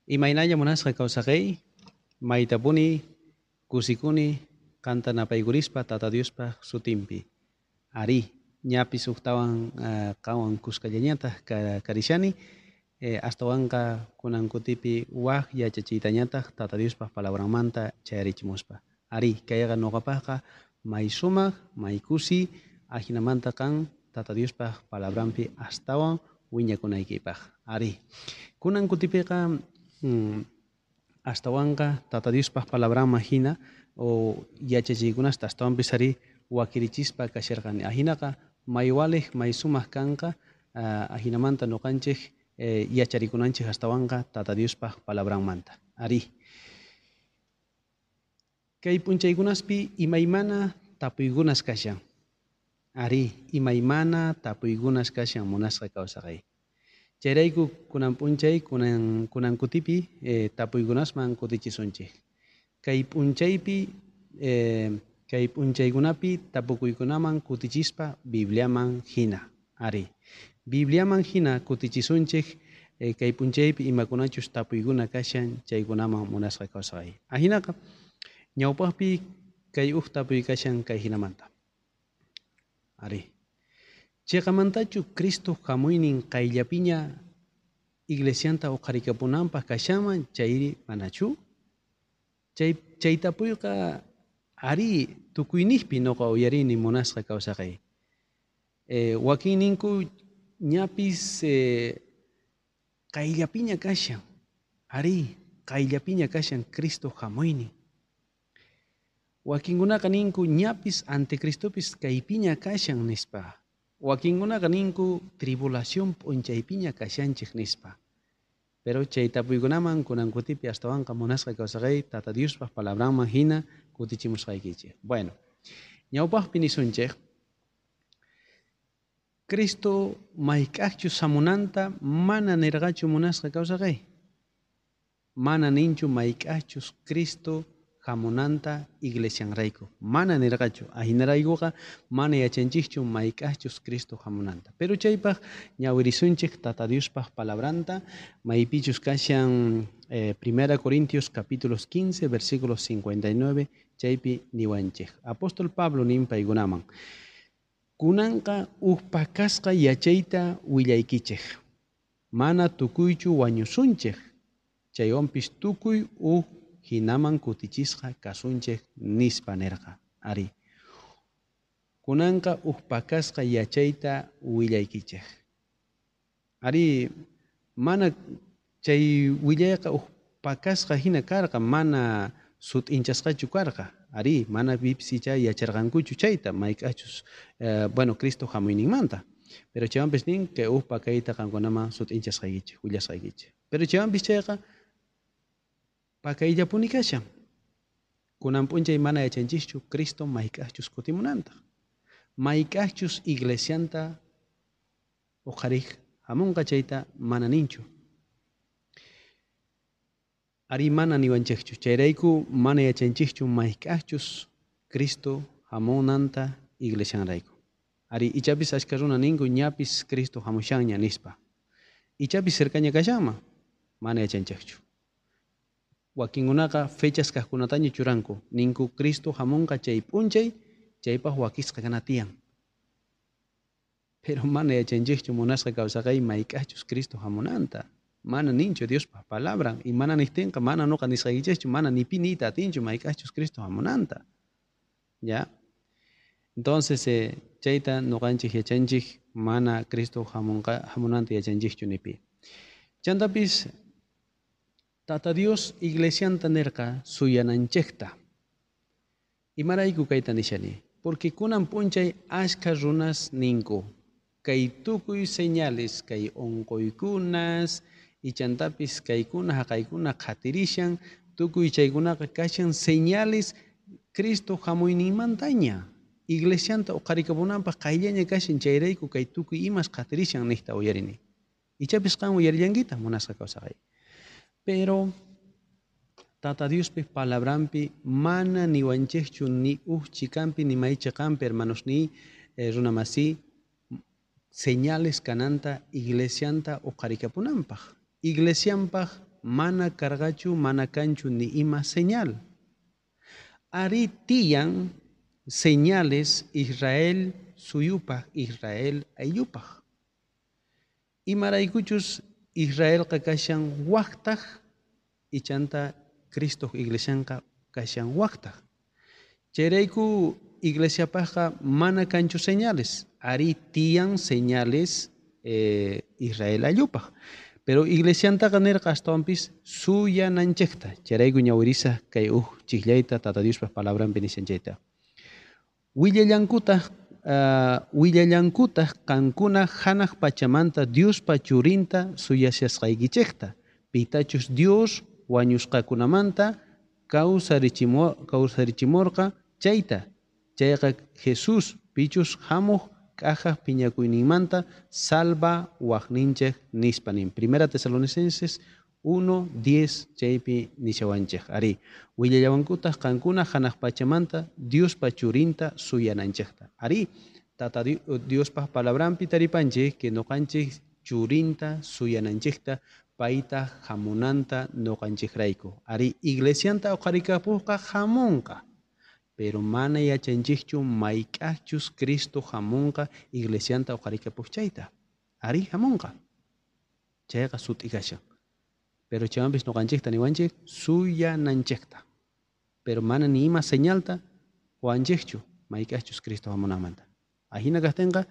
Imaynalla munasqa kawsaqey, maytapuni kusikuni qanta napaykurispa Tata Diospaj sutinpi. Arí, ñapis ujtawan qanwan kuskallañataj karishani, astawanqa kunan kutipi waj yachachiytañataj Tata Diospaj palabranmanta chayarichimuspa. Arí, kayqa noqapajqa may sumaj, may kusi, ajinamanta qan Tata Diospaj palabranpi astawan wiñakunaykipaj. Arí, kunan kutipiqa astawanqa Tata Diospaj palabranman hina o yachachiykunasta astawanpis arí wakirichispa kasharqani. Ajinaqa may walej, may sumaj kanqa, ajinamanta noqanchej yacharikunanchej astawanqa Tata Diospaj palabranmanta. Arí. Kay p'unchaykunaspi imaymana tapuykunas kashan. Arí, imaymana tapuykunas kashan munasqa kawsaqay. Chayrayku kunan p'unchay, kunan kutipi tapuykunasman kutichisunchej. Kay p'unchaypi, kay p'unchaykunapi tapukuykunaman kutichispa Bibliaman hina. Arí, Bibliaman hina kutichisunchej kay p'unchaypi imakunachus tapuykuna kashan chaykunaman munasqa kawsaqay. Ajinaqa ñawpaqpi kay uj tapuy kashan kay hinamanta. Arí. Cheqamantachu Cristo hamuynin qayllapiña iglesianta uqharikapunanpaq kashanman chayri manachu? Chay tapuyqa arí tukuyniqpi noqa uyarini munasqa kawsaqay. Wakinninku ñapis qayllapiña kashan. Arí, qayllapiña kashan Cristo hamuynin. Wakinkunaqa ninku ñapis anticristopis kaypiña kashan nispa. Wakinkunaqa ninku tribulación p'unchaypiña kashanchej nispa. Pero chay tapuykunaman kunan kutipi astawanqa munasqa kawsaqay Tata Diospaj palabranman hina kutichimusqaykichej. Bueno, ñawpaqpi nisunchej, Cristo mayk'ajchus hamunanta mana nirqachu munasqa kawsaqay. Mana ninchu mayk'ajchus Cristo hamunanta iglesianrayku. Mana nirqachu. Ajinaraykuqa mana yachanchikchu mayk'ajchus Cristo hamunanta. Pero chaypaj ñawirisunchik Tata Diospaj palabranta, maypichus kashan 1 Corintios capítulos 15, versículos 59, chaypi niwanchik. Apóstol Pablo nin paykunaman. Kunanqa uj pakasqa yachayta willaykichej. Mana tukuychu wañusunchej. Chaywanpis tukuy uj hinaman kutichisqa kasunchej nispa nerqa. Arí. Kunanqa uj pakasqa yachayta willaykichej. Arí, mana chay willayqa uj pakasqa hina karqa, mana sut'inchasqachu karqa. Arí, mana pipis icha yacharqankuchu chayta, mayk'achus bueno, Cristo hamuyninmanta. Pero chaywanpis nin que uj pakayta qankunaman sut'inchasqaykichej, willasqaykichej. Pero chaywanpis chayqa pakayllapuni kashan. Kunan p'unchay mana yachanchikchu Cristo mayk'ajchus kutimunanta. Mayk'ajchus iglesianta uqharij hamunqa chayta mana ninchu. Ari mana niwanchikchu. Chayrayku mana yachanchikchu mayk'ajchus Cristo hamunanta iglesianrayku. Ari ichapis achka runa ninku ñapis Cristo hamushanña nispa. Ichapis cercaña kashanman mana yachanchikchu. Wakinkunaqa fechas kaqkunataña churanku. Ninku Cristo hamunqa chay p'unchay, chaypaq wakisqa kana tiyan. Pero mana yachanchikchu munasqa kawsaqay mayk'ajchus Cristo hamunanta. Mana ninchu Diospaj palabran. Y mana niqtinqa mana noqa nisqaykichikchu, mana ni pi niyta atinchu mayk'ajchus Cristo hamunanta. ¿Ya? Entonces, chayta noqanchik yachanchik mana Cristo hamunanta yachanchikchu ni pi. Chantapis Tata Dios iglesianta nerqa suyananchejta. Imarayku kayta nishani? Porque kunan p'unchay ashka runas ninku. Kay tukuy señales, kay unquykunas, ichantapis kaykuna haqaykuna qhatirishan, tukuy chaykunaqa kashan señales Cristo hamuyninmantaña. Iglesianta uqharikapunanpaq qayllaña kashan chayrayku kay tukuy imas qhatirishan niqta uyarini. Ichapis qan uyarillankita munasqa kawsaqay. Pero Tata Diospi palabranpi mana niwanchikchu ni uj chikampi ni may chiqampi hermanos ni runamasi señales kananta iglesianta uqharikapunanpaq. Iglesianpaq mana karqachu, mana kanchu ni ima señal. Arí tiyan señales Israel suyupaj, Israel ayllupaj. Imaraykuchus Israelqa kashan wajtaj, ichanta Cristo iglesianqa kashan wajtaj. Chayrayku iglesiapajqa mana kanchu señales. Arí tiyan señales Israel ayllupaj. Pero iglesiantaqa nerqa astawanpis suyananchejta. Chayrayku ñawirisa kay uj chijllayta Tata Diospaj palabranpi nishan chayta. Willallankutaq qankuna hanaq pachamanta Diospa churinta suyashasqaykichejta, pitachus Dios wañusqakunamanta kawsarichimorqa chayta. Chayqa Jesús pichus hamuj k'ajaj phiñakuyninmanta salva wajninchej nispa nin. Primera Tesalonicenses 1:10 chaypi nishawanchej. Arí, willallawankutaq qankuna hanaq pachamanta Diospa churinta suyananchejta. Arí, Tata Diospa palabranpi taripanchej que noqanchej churinta suyananchejta payta hamunanta noqanchejrayku. Arí, iglesianta uqharikapujqa hamunqa. Pero mana yachanchejchu mayk'ajchus Cristo hamunqa iglesianta uqharikapuj chayta. Arí, hamunqa. Chayqa sut'i kashan. Pero chaywanpis noqanchejta niwanchej suyananchejta. Pero mana ni ima señalta qowanchejchu mayk'ajchus Cristo hamunanmanta. Ajina kajtenqa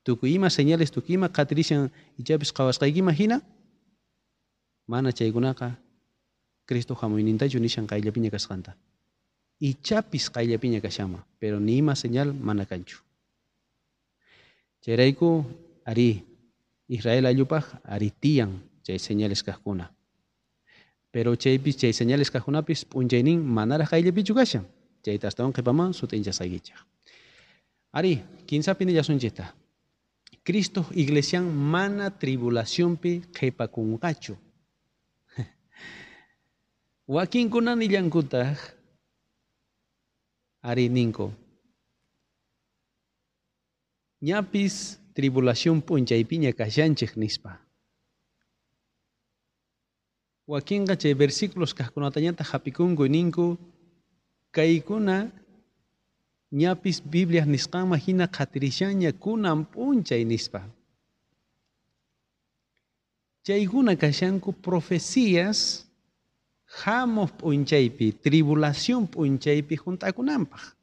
tukuy ima señales, tukuy ima qhatirishan ichapis qhawasqaykima hina, mana chaykunaqa Cristo hamuynintachu nishan qayllapiña kasqanta. Ichapis qayllapiña kashanman, pero ni ima señal mana kanchu. Chayrayku arí Israel ayllupaj arí tiyan chay señales kajkuna. Pero chaypis chay señales kajkunapis p'unchaynin manaraj qayllapichu kashan. Chayta astawan qhipaman sut'inchasqaykichej. Arí, kinsapi nillasunchikta. Cristo iglesian mana tribulacionpi qhipakunqachu. Wakinkuna nillankutaq arí ninku. Ñapis tribulación p'unchaypiña kashanchej nispa. Wakinqa chay versículos kajkunatañataq hap'ikunku ninku kaykuna ñapis Biblia nisqanman hina qhatirishanña kunan p'unchay nispa. Chaykuna kashanku profecías hamuq p'unchaypi, tribulación p'unchaypi hunt'akunanpaq.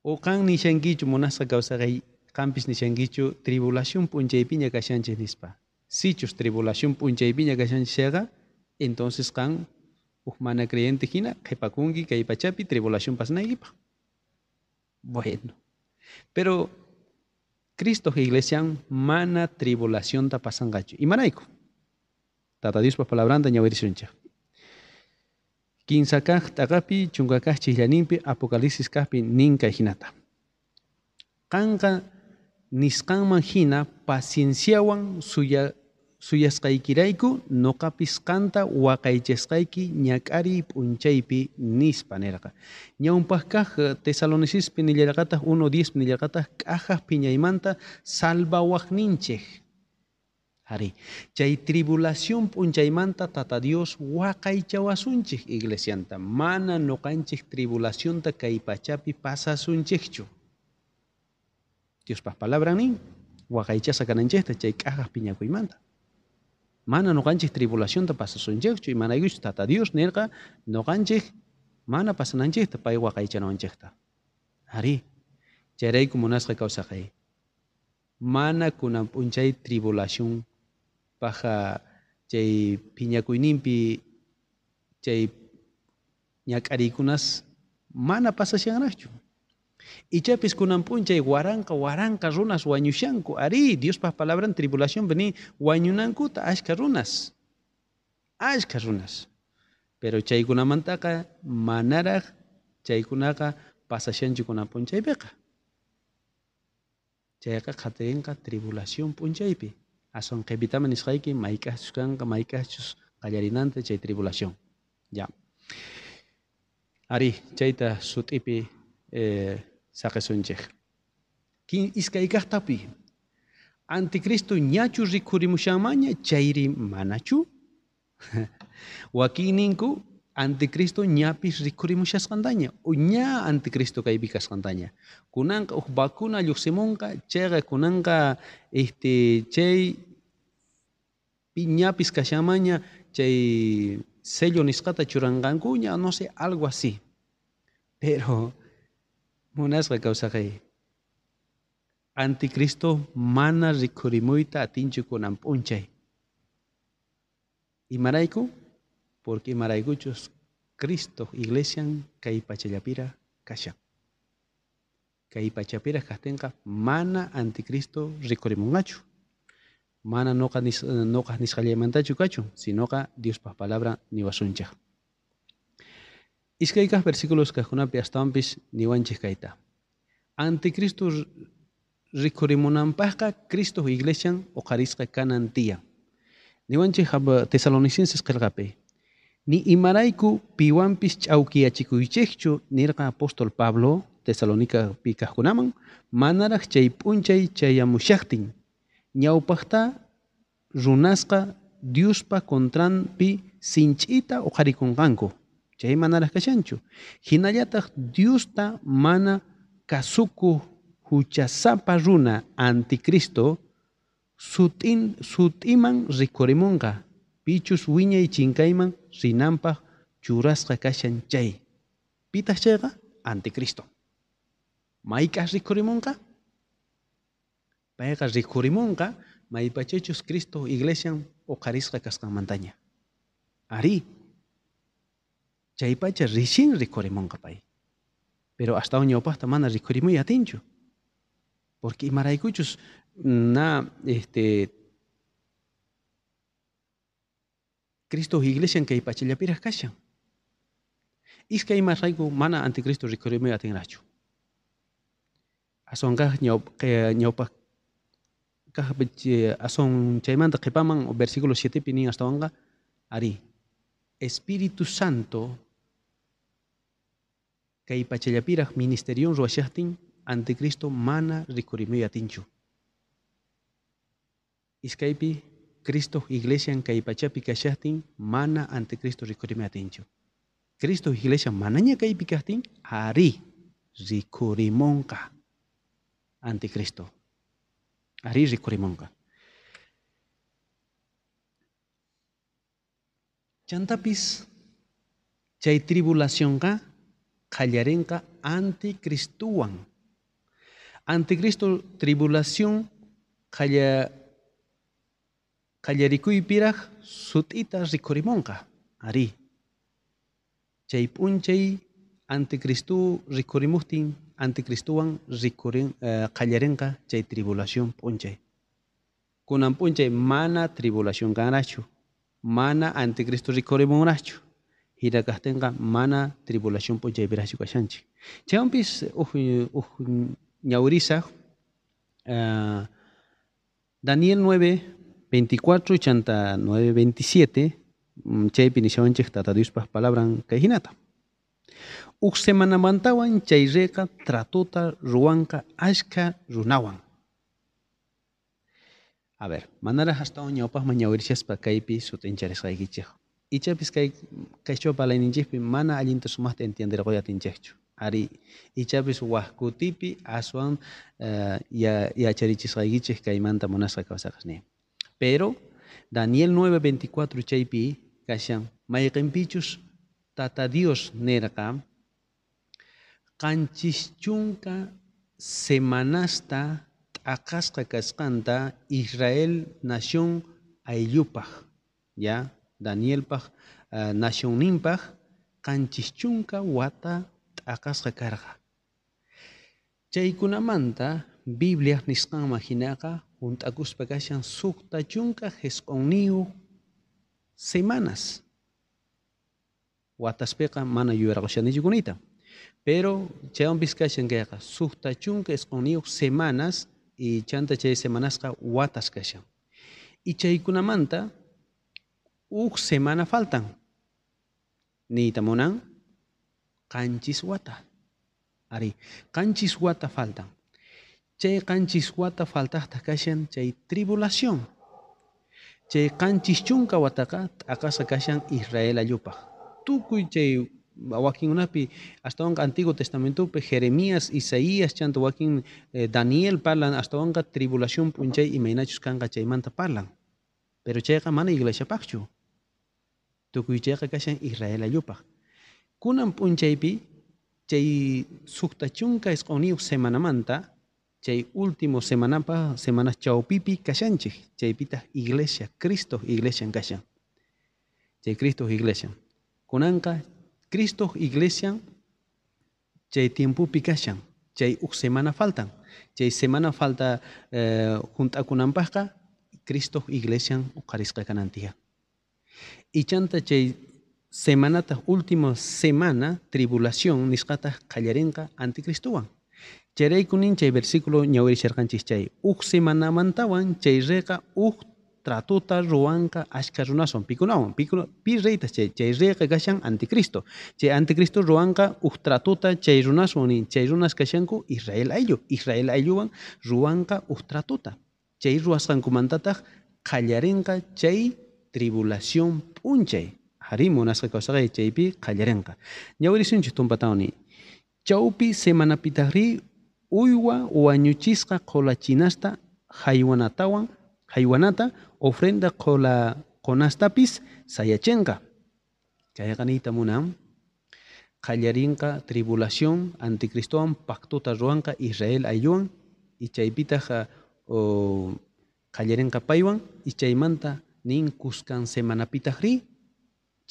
O qan nishankichu munasqa kawsaqay, qampis nishankichu tribulación p'unchaypiña kashanchej nispa. Sichus tribulación p'unchaypiña kashanchej chayqa, entonces qan uj mana creyente hina qhipakunki kay pachapi tribulación pasanaykipaq. Bueno, pero Cristo iglesian mana tribulacionta pasanqachu. Imarayku? Tata Diospa palabranta ñawirisunchej. Kinsa kaq t'aqapi, chunka kaq chijllaninpi, Apocalipsis kaqpi nin kay hinata. Qanqa nisqanman hina pacienciawan suyasqaykirayku noqapis qanta waqaychasqayki ñak'ariy p'unchaypi nispa nerqa. Ñawpaq kaq Tesalonicispi nillarqataq 1:10 nillarqataq k'ajaj phiñaymanta salvawaqninchej. Arí, chay tribulación p'unchaymanta Tata Dios waqaychawasunchej iglesianta. Mana noqanchej tribulacionta kay pachapi pasasunchejchu. Diospaj palabran nin waqaychasqa kananchejta chay k'ajaj phiñakuymanta. Mana noqanchej tribulacionta pasasunchejchu, imaraykuchus Tata Dios nerqa noqanchej mana pasananchejta pay waqaychanawanchejta. Arí, chayrayku munasqa kawsaqay. Mana kunan p'unchay tribulación paja chay phiñakuyninpi chay ñak'ariykunas mana pasashanraqchu. Ichapis kunan p'unchay waranqa waranqa runas wañushanku. Arí, Diospaj palabran tribulación vení wañunankuta ashka runas. Ashka runas. Pero chaykunamantaqa manaraq chaykunaqa pasashanchu kunan p'unchaypiqa. Chayqa qhatirinqa tribulación p'unchaypi. Aswan qhipitaman nisqayki mayk'aqchus kanqa, mayk'aqchus qallarinanta chay tribulación. Ya. Arí, chayta sut'ipi saqisunchej. Iskay kaqtapi. Anticristo ñachu rikhurimushanmaña chayri manachu? Wakinninku anticristo ñapis rikhurimushasqantaña o ña anticristo kaypi kasqantaña. Kunanqa uj vacuna lluqsimunqa, chayqa kunanqa chay ñapis kashanmaña chay sello nisqata churanqankuña, no sé, algo así. Pero munasqa kawsaqay, anticristo mana rikhurimuyta atinchu kunan p'unchay. Imarayku? Porque imaraykuchus Cristo iglesian kay pachallapira kashan. Kay pachapira kajtinqa mana anticristo rikhurimunqachu. Mana noqa nisqallaymantachu kachun, sinoqa Diospaj palabra niwasunchej. Iskay kaj versículos kajkunapi astawanpis niwanchej kayta. Anticristo rikhurimunanpajqa Cristo iglesian uqharisqa kanan tiyan. Niwanchej Tesalonicenses qillqapi. Ni imarayku piwanpis ch'awkiyachikuychejchu nirqa apóstol Pablo Tesalonicapi kajkunaman manaraj chay p'unchay chayamushajtin. Ñawpajta runasqa Diospa contranpi sinch'ita uqharikunqanku. Chay manaraj kashanchu. Hinallataj Diosta mana kasukuq huchasapa runa anticristo sut'iman rikhurimunqa. Pichus wiñay chinkayman rinanpaj churasqa kashan chay. Pitaq chayqa? Anticristo. Mayk'aj rikhurimunqa? Payqa rikhurimunqa maypachachus Cristo iglesian uqharisqa kasqanmantaña. Ari, chaypacha rixin rikhurimunqa pay. Pero astawan ñawpajta mana rikhurimuy atinchu. Porque imaraykuchus na Cristo iglesian kay pachallapiraj kashan. Iskay imarayku mana anticristo rikhurimuy atinrachu. Aswan kaj ñawpaj kaj aswan chaymanta qhipaman versículo 7 pi nin astawanqa ari Espíritu Santo kay pachallapiraj ministerion ruwashajtin anticristo mana rikhurimuy atinchu. Iskaypi Cristo iglesian kay pachapi kashajtin mana anticristo rikhurimuy atinchu. Cristo iglesia manaña kaypi kajtin ari rikhurimunqa anticristo. Ari rikhurimunqa. Chantapis chay tribulacionqa qallarinqa anticristowan. Anticristo tribulación qallarikuypiraj sut'ita rikhurimunqa. Ari. Chay p'unchay anticristo rikhurimujtin anticristowan qallarinqa chay tribulación p'unchay. Kunan p'unchay mana tribulación kanrachu, mana anticristo rikhurimunrachu. Hina kajtinqa mana tribulación p'unchaypirajchu kashanchik. Chaywanpis uj ñawrisaj Daniel 9:24 chanta 9:27 chaypi nishawanchej Tata Diospaj palabran kay hinata. Uj semanamantawan chay reyqa tratota ruwanqa ashka runawan. A ver, manaraj astawan ñawpajman ñawirishaspa kaypi sut'incharisqaykichej. Ichapis kay qhichwa parlayninchikpi mana allinta sumaqta entienderqoy atinchejchu. Ari, ichapis waj kutipi aswan yacharichisqaykichej kaymanta munasqa kawsaqasniy. Pero Daniel 9:24 chaypi kashan mayqinpichus Tata Dios nerqa 70 semanasta t'aqasqa kasqanta Israel nación ayllupaj, ya Danielpaj nacionninpaj 70 wata t'aqasqa karqa. Chaykunamanta Biblia nisqanman hinaqa junt'akuspa kashan 69 semanas. Wataspiqa mana yuyarqashanichu kunita. Pero chaywanpis kashan kayqa 69 semanas y chanta chay semanasqa watas kashan. Y chaykunamanta uj semana faltan. Niyta munan 7 wata. Ari, 7 wata faltan. Chay qanchis wata faltajtaj kashan chay tribulación. Chay qanchis chunka wataqa t'aqasqa kashan Israel ayllupaj. Tukuy chay wakinkunapi astawanqa Antiguo Testamentopi Jeremías, Isaías chanta wakin Daniel parlan astawanqa tribulación p'unchay imaynachus kanqa chaymanta parlan. Pero chayqa mana iglesiapaqchu. Tukuy chayqa kashan Israel ayllupaj. Kunan p'unchaypi chay 69 semanamanta chay último semanapa semana chawpipi kashanchik, chaypitaq iglesia, Cristo iglesian kashan. Chay Cristo iglesian. Kunanqa Cristo iglesian chay tiempopi kashan, chay uj semana faltan. Chay semana falta junt'akunanpaqqa Cristo iglesian uqharisqa kanan tiyan. Ichanta chay semanata último semana tribulación nisqataq qallarinqa anticristowan. Chayrayku nin chay versículo ñawirisharqanchis chay uj semanamantawan chay reyqa uj tratota ruwanqa ashka runaswan pikunawan pi reytas chay reyqa kashan anticristo. Chay anticristo ruwanqa uj tratota chay runaswan nin chay runas kashanku Israel ayllu, Israel aylluwan ruwanqa uj tratota. Chay ruwasqankumantataq qallarinqa chay tribulación p'unchay. Arí munasqa kawsaqay chaypi qallarinqa. Ñawirisunchik tumpatawan nin. Chawpi semanapitaqri uywa wañuchisqa qhulachinasta haywanatawan haywanata ofrenda qhunastapis sayachinqa. Chayqa niyta munan qallarinqa tribulación anticristowan pactota ruwanqa Israel aylluwan y chaypitaq qallarinqa paywan y chaymanta nin kuskan semanapitaqri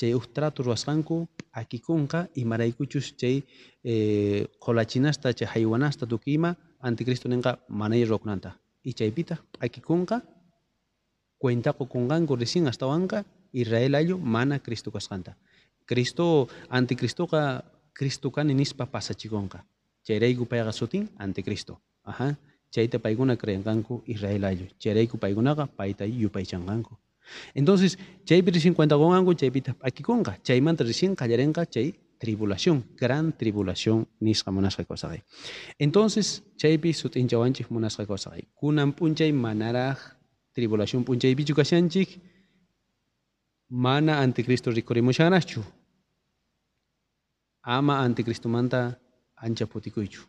chay uj trato ruwasqanku p'akikunqa imaraykuchus chay qhulachinasta chay haywanasta tukuy ima anticristo ninqa manay ruwakunanta y chaypitaq p'akikunqa cuenta qukunqanku recién astawanqa Israel ayllu mana Cristo kasqanta. Cristo anticristoqa Cristo kani nispa pasachikunqa. Chayrayku payqa sutin anticristo. Ajá. Chayta paykuna creenqanku Israel ayllu. Chayrayku paykunaqa payta yupaychanqanku. Entonces, chaypi recién cuenta qunqanku, chaypitaq p'akikunqa. Chaymanta recién qallarinqa chay tribulación, gran tribulación nisqa munasqa kawsaqay. Entonces, chaypi sut'inchawanchik munasqa kawsaqay. Kunan p'unchay manaraj tribulación p'unchaypichu kashanchik, mana anticristo rikurimushanraqchu. Ama anticristomanta ancha phutikuychu.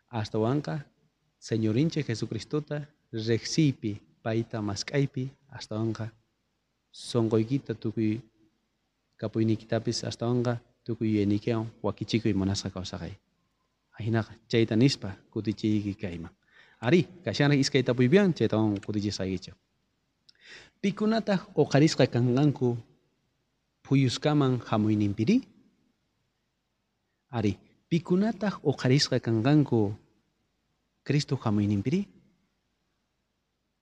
Astawanqa Señorinchik Jesucristota riqsiypi payta mask'aypi astawanqa sunquykita tukuy kapuyniykitapis astawanqa tukuy yuyayniykiwan wakichikuy munasqa kawsaqay. Ajinaqa chayta nispa kutichiyki kayman. Arí, kashanraq iskay tapuypiwan chaytawan kutichisqaykichik. Pikunataq uqharisqa kanqanku phuyuskaman hamuyninpiri? Arí, pikunataq uqharisqa kanqanku Cristo hamuyninpiri?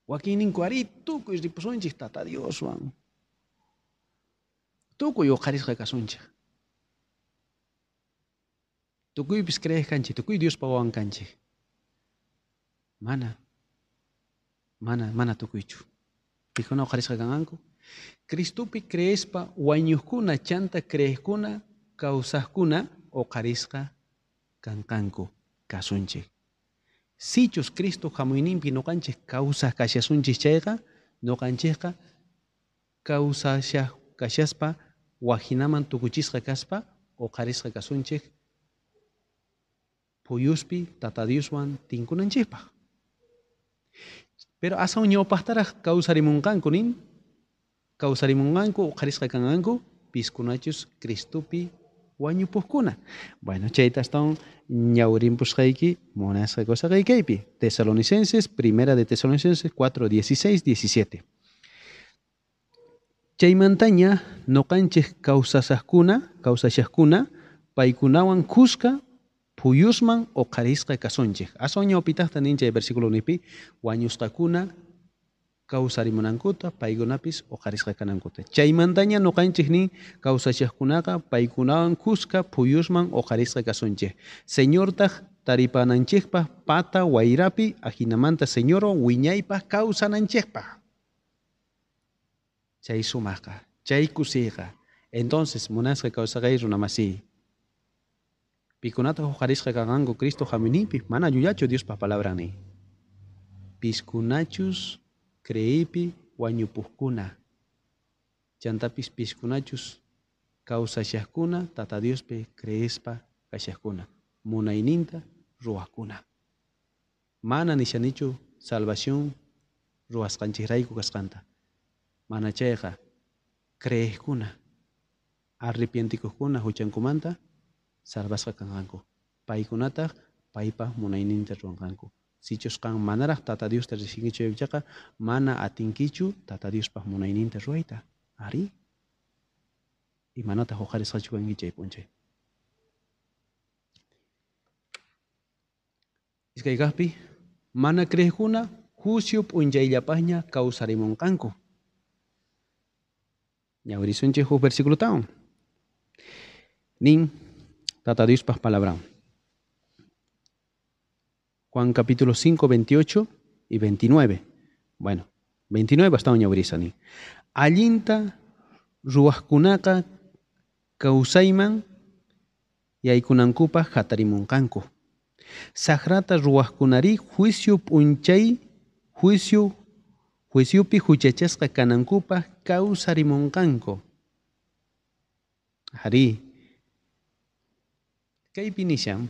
Wakinninku arí tukuy ripusunchik Tata Dioswan. Tukuy uqharisqa kasunchik. Tukuypis creej kanchik, tukuy Diospa wawan kanchik. Mana, mana, mana tukuychu. Pikuna uqharisqa kanqanku? Cristopi creespa wañuqkuna chanta creejkuna kawsaqkuna uqharisqa kanqanku kasunchik. Sichus Cristo hamuyninpi ñuqanchik kawsaq kashasunchik chayqa ñuqanchikqa kawsashaq kashaspa wajinaman tukuchisqa kaspa uqharisqa kasunchik phuyuspi Tata Dioswan tinkunanchikpaq. Pero aswan ñawpaqtaraq kawsarimunqanku nin, kawsarimunqanku uqharisqa kanqanku piskunachus Cristopi wañupuqkuna. Bueno, chayta astawan ñawrinpusqayki munasqa kawsaqaykaypi. Tesalonicenses, primera de Tesalonicenses 4, 16, 17. Chaymantaña ñuqanchik kawsashaqkuna, kawsashaqkuna paykunawan kuska phuyusman uqharisqa kasunchik. Aswan ñawpitaqta nin chay versículo nipi wañusqakuna kawsarimunankuta paykunapis uqharisqa kanankuta. Chaymantaña ñuqanchik nin kawsashaqkunaqa paykunawan kuska phuyusman uqharisqa kasunchik. Señortaq taripananchikpaq pata wayrapi ajinamanta Señorwan wiñaypaq kawsananchikpaq. Chay sumaqqa, chay kusiyqa. Entonces, munasqa kawsaqay runamasiy. Pikunataq uqharisqa kanqanku Cristo hamuyninpi? Mana llullachu Diospa palabran nin. Piskunachus creeypi wañupuqkuna. Chantapis piskunachus kawsashaqkuna Tata Diospi creespa kashaqkuna, munayninta ruwaqkuna. Mana nishanichu salvación ruwasqanchikrayku kasqanta. Mana chayqa creeqkuna, arrepientikuqkuna huchankumanta salvasqa kanqanku. Paykunataq paypa munayninta ruwanqanku. Sichus qan manaraq Tata Diosta riqsinkichu chayqa mana atinkichu Tata Diospa munayninta ruwayta. Ari. Imanataq uqharisqachu kanki chay p'unchay. Iskay kaqpi mana creeqkuna juicio p'unchayllapaqña kawsarimunqanku. Ñawirisunchik huk versículotawan. Nin Tata Diospaj palabran. Juan capítulo 5, 28 y 29. Bueno, 29 astawan ñawirisa nin. Allinta ruwaqkunaqa kawsayman yaykunankupaq hatarimunqanku. Saqrata ruwaqkunari juicio p'unchay juiciopi huchachasqa kanankupaq kawsarimunqanku. Arí. Kaypi nishan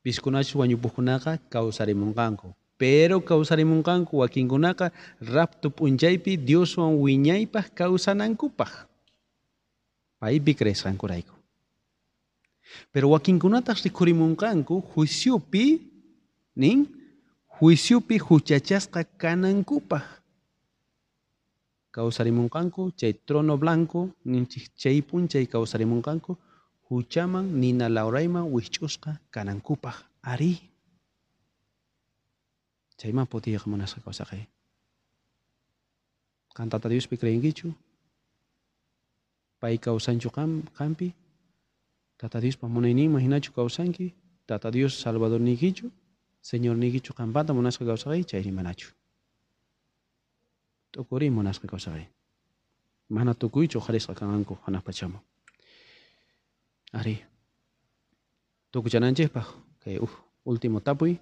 piskunachus wañupuqkunaqa kawsarimunqanku. Pero kawsarimunqanku wakinkunaqa rapto p'unchaypi Dioswan wiñaypaq kawsanankupaq. Paypi creesqankurayku. Pero wakinkunataq rikhurimunqanku juiciopi nin juiciopi huchachasqa kanankupaq. Kawsarimunqanku chay trono blanco ninchik chay p'unchay kawsarimunqanku huchaman nina lawrayman wikch'usqa kanankupaq. Ari. Chayman putiyqa munasqa kawsaqay. Qan Tata Diospi creenkichu? Pay kawsanchu qampi? Tata Diospa munayninman hinachu kawsanki? Tata Dios Salvadorniykichu? Señorniykichu qampata munasqa kawsaqay? Chayri manachu. T'ukuriy munasqa kawsaqay. Mana tukuychu uqharisqa kanqanku hanaq pachaman. Ari. Tukuchananchikpaq kay último tapuy.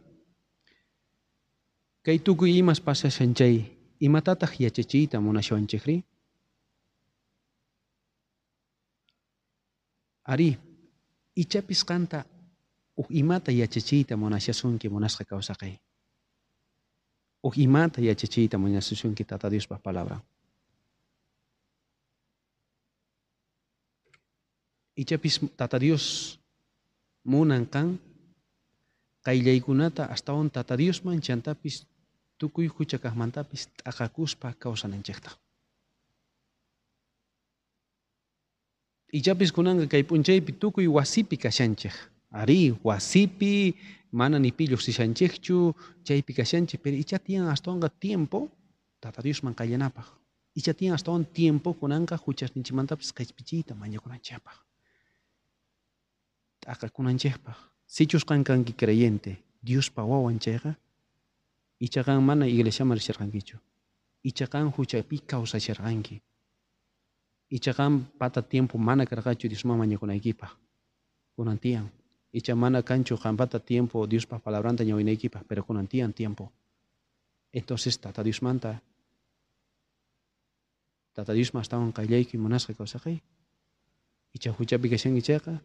Kay tukuy imas pasashan chay imatataq yachachiyta munashawanchikri? Ari, ichapis qanta huk imata yachachiyta munashasunki munasqa kawsaqay. Huk imata yachachiyta munashasunki Tata Diospa palabran. Ichapis Tata Dios munan qan qayllaykunata astawan Tata Diosman chantapis tukuy hucha kaqmantapis t'aqakuspa kawsananchikta. Ichapis kunanqa kay p'unchaypi tukuy wasipi kashanchik. Ari, wasipi mana ni pi lluqsishanchikchu, chaypi kashanchik, pero icha tiyan astawanqa tiempo Tata Diosman qayllanapaq. Icha tiyan astawan tiempo kunanqa huchasninchikmantapis qhispichiyta mañakunanchikpaq. T'aqakunanchikpaq. Sichus qan kanki creyente, Diospa wawan chayqa, icha qan mana iglesiaman risharqankichu. Icha qan huchapi kawsasharqanki. Icha qan pata tiempo mana karqachu Diosman mañakunaykipaq. Kunan tiyan. Icha mana kanchu qampata tiempo Diospa palabranta ñawinaykipaq, pero kunan tiyan tiempo. Entonces Tata Diosmanta Tata Diosman astawan qayllayki munasqa kawsaqay. Icha huchapi kashanki chayqa,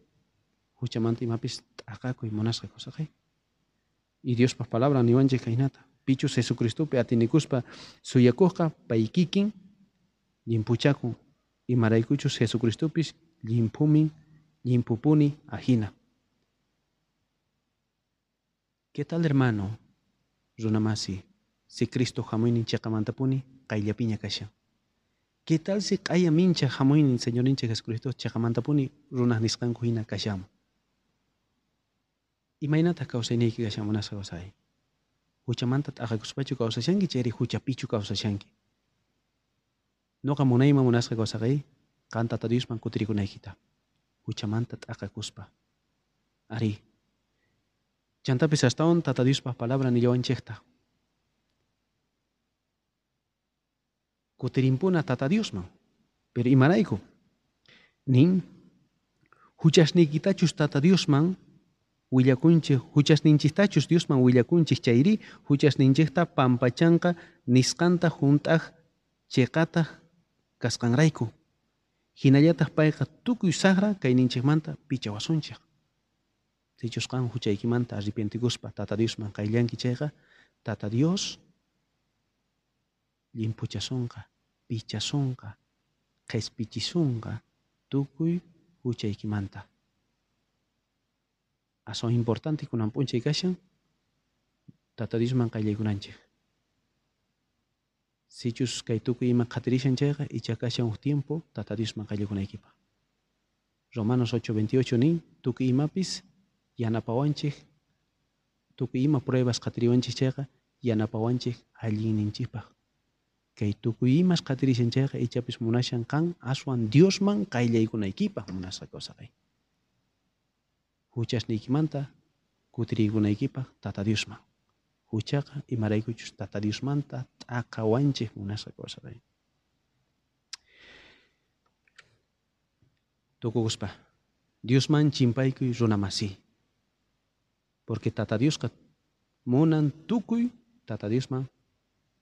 huchamanta imapis t'aqakuy munasqa kawsaqay. Y Diospa palabra niwanchik kaynata. Pichus Jesucristopi atinikuspa suyakuqqa pay kikin llimpuchakun. Imaraykuchus Jesucristopis llimphumin llimpupuni ajina. ¿Qué tal, hermano? Runamasi, si Cristo hamuynin chiqamantapuni qayllapiña kashan. ¿Qué tal si q'aya mincha hamuynin Señorninchik Jesucristo chiqamantapuni runaq nisqanku hina kashanman? Imaynataq kawsayniyki kashan munasqa kawsay? Huchamanta t'aqakuspachu kawsashanki chayri huchapichu kawsashanki? Noqa munayman munasqa kawsaqay qan Tata Diosman kutirikunaykita. Huchamanta t'aqakuspa. Ari. Chantapis astawan Tata Diospa palabra nillawanchikta. Kutirimpuna Tata Diosman. Pero imarayku? Nin Huchasniykitachus Tata Diosman willakunchej, huchasninchejtachus Diosman willakunchej chayrí, huchasninchejta pampachanqa nisqanta junt'aj cheqataj kasqanrayku. Jinallataj payqa tukuy sajra kayninchejmanta pichawasunchej. Sichus qan huchaykimanta arrepientikuspa Tata Diosman qayllanki chayqa, Tata Dios llimphuchasonqa, pichasonqa, qhispichisonqa tukuy huchaykimanta. Aswan importante kunan p'unchay kashan Tata Diosman qayllaykunanchej. Sichus kay tukuy ima qhatirishan chayqa, icha kashan uj tiempo Tata Diosman qayllakunaykipaq. Romanos 8:28 nin, tukuy imapis yanapawanchej, tukuy ima pruebas qhatiriwanchej chayqa yanapawanchej allinninchikpaq. Kay tukuy imas qhatirishan chayqa ichapis munashan qan aswan Diosman qayllaykunaykipaq munasqa kawsaqay. Huchasniykimanta kutiriykunaykipaq Tata Diosman. Huchaqa imaraykuchus Tata Diosmanta t'aqawanchej munasqa kawsaqay. Tukukuspa Diosman chimpaykuy runa masi. Porque Tata Diosqa munan tukuy Tata Diosman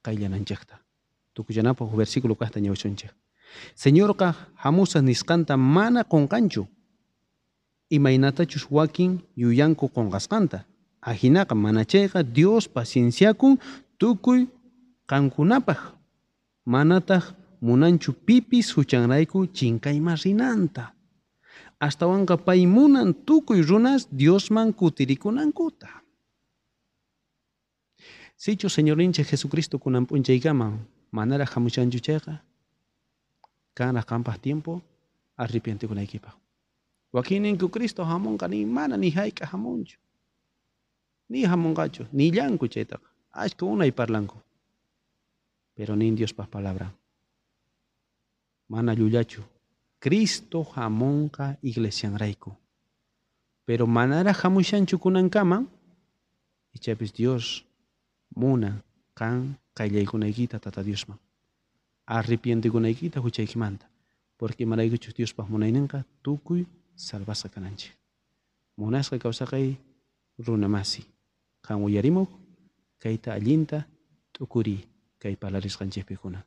qayllananchejta. Tukuchanapaq versículo kajta ñawchunchej. Señorqa hamusas nisqanta mana qonqanchu. Imaynatachus wakin yuyanku qonqasqanta. Ajinaqa mana chayqa Dios pacienciakun tukuy qankunapaq. Manataq munanchu pipis huchanrayku chinkayman rinanta. Astawanqa pay munan tukuy runas Diosman kutirikunankuta. Sichu Señorninchik Jesucristo kunan p'unchaykama manaraj hamushanchu chayqa, kanraj qampaj tiempo arrepientikunaykipaq. Wakinninku Cristo hamunqa ni mana ni hayk'aq hamunchu. Ni hamunqachu, nillanku chaytaqa. Ashka unay parlanku. Pero nin Diospaj palabra. Mana llullachu. Cristo hamunqa iglesianrayku. Pero manaraj hamushanchu kunankama, ichapis Dios munan qan qayllaykunaykita Tata Diosman. Arrepientikunaykita huchaykimanta. Porque imaraykuchus Diospaj munayninqa tukuy salvasqa kananchik. Munasqa kawsaqay runa masi. Qan uyarimuq kayta allinta t'ukuriy kay parlarisqanchikpikuna.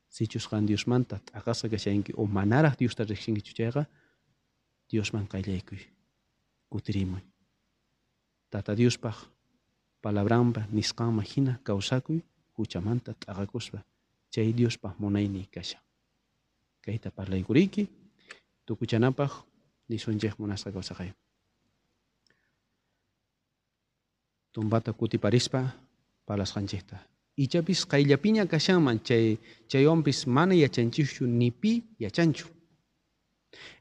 Sichus qan Diosmanta t'aqasqa kashanki o manaraj Diosta riqsinkichu chayqa, Diosman qayllaykuy. Kutirimuy. Tata Diospaj palabranpa nisqanman hina kawsakuy huchamanta t'aqakuspa chay Diospaj munayni kashan. Kayta parlaykuriyki tukuchanapaj nisunchej munasqa kawsaqay. Tumpata kutiparispa parlasqanchikta. Ichapis qayllapiña kashanman chay chaywanpis mana yachanchikchu ni pi yachanchu.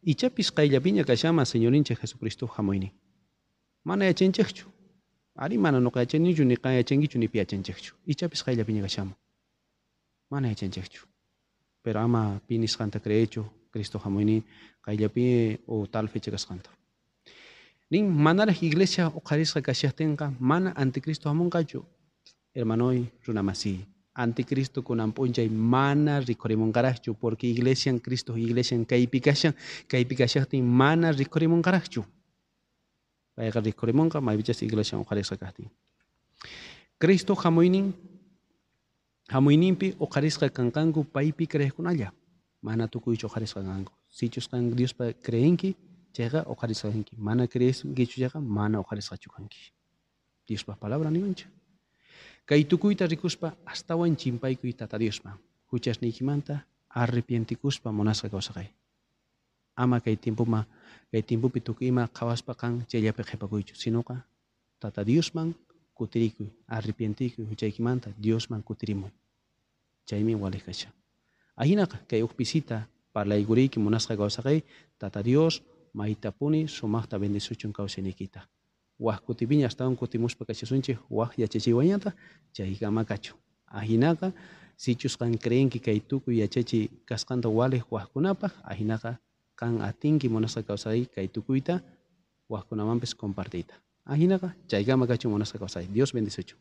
Ichapis qayllapiña kashanman Señorninchik Jesucristo hamuynin. Mana yachanchikchu. Ari mana nuqa yachanichu ni qan yachankichu ni pi yachanchikchu. Ichapis qayllapiña kashanman. Mana yachanchikchu. Pero ama pi nisqanta creechu Cristo hamuynin qayllapi o tal fecha kasqanta. Nin manaraj iglesia uqharisqa kashaqtinqa mana anticristo hamunqachu. Hermanoy runa masi. Anticristo kunan p'unchay mana rikhurimunqaraqchu porque iglesian Cristo iglesian kaypi kashan kaypi kashaqtin mana rikhurimunqaraqchu. Payqa rikhurimunqa maypichas iglesian uqharisqa kaqtin. Cristo hamuyninpi uqharisqa kanqanku paypi creeqkunalla. Mana tukuychu uqharisqa kanqanku. Sichus qan Diospa creenki chayqa uqharisqa kanki. Mana creenkichu chayqa mana uqharisqachu kanki. Diospa palabra niwanchik. Kay tukuyta rikuspa astawan chimpaykuy Tata Diosman. Huchasniykimanta arrepientikuspa munasqa kawsaqay. Ama kay tiempoma kay tiempopi tukuy ima qhawaspa qan chayllapi qhipakuychu, sinoqa Tata Diosman kutirikuy, arrepientikuy huchaykimanta Diosman kutirimuy. Chaymi waliq kashan. Ajinaqa kay uj pisita parlaykuriyki munasqa kawsaqay Tata Dios maytapuni sumaqta bendisuchun kawsayniykita. Waj kutipiña astawan kutimuspa kashasunchik waj yachachiywañata chaykama kachun. Ajinaqa sichus qan creenki kay tukuy yachachiy kasqanta waliq wajkunapaq, ajinaqa qan atinki munasqa kawsay kay tukuyta wajkunamanpis compartiyta. Ajinaqa chaykama kachun munasqa kawsay. Dios bendisuchun.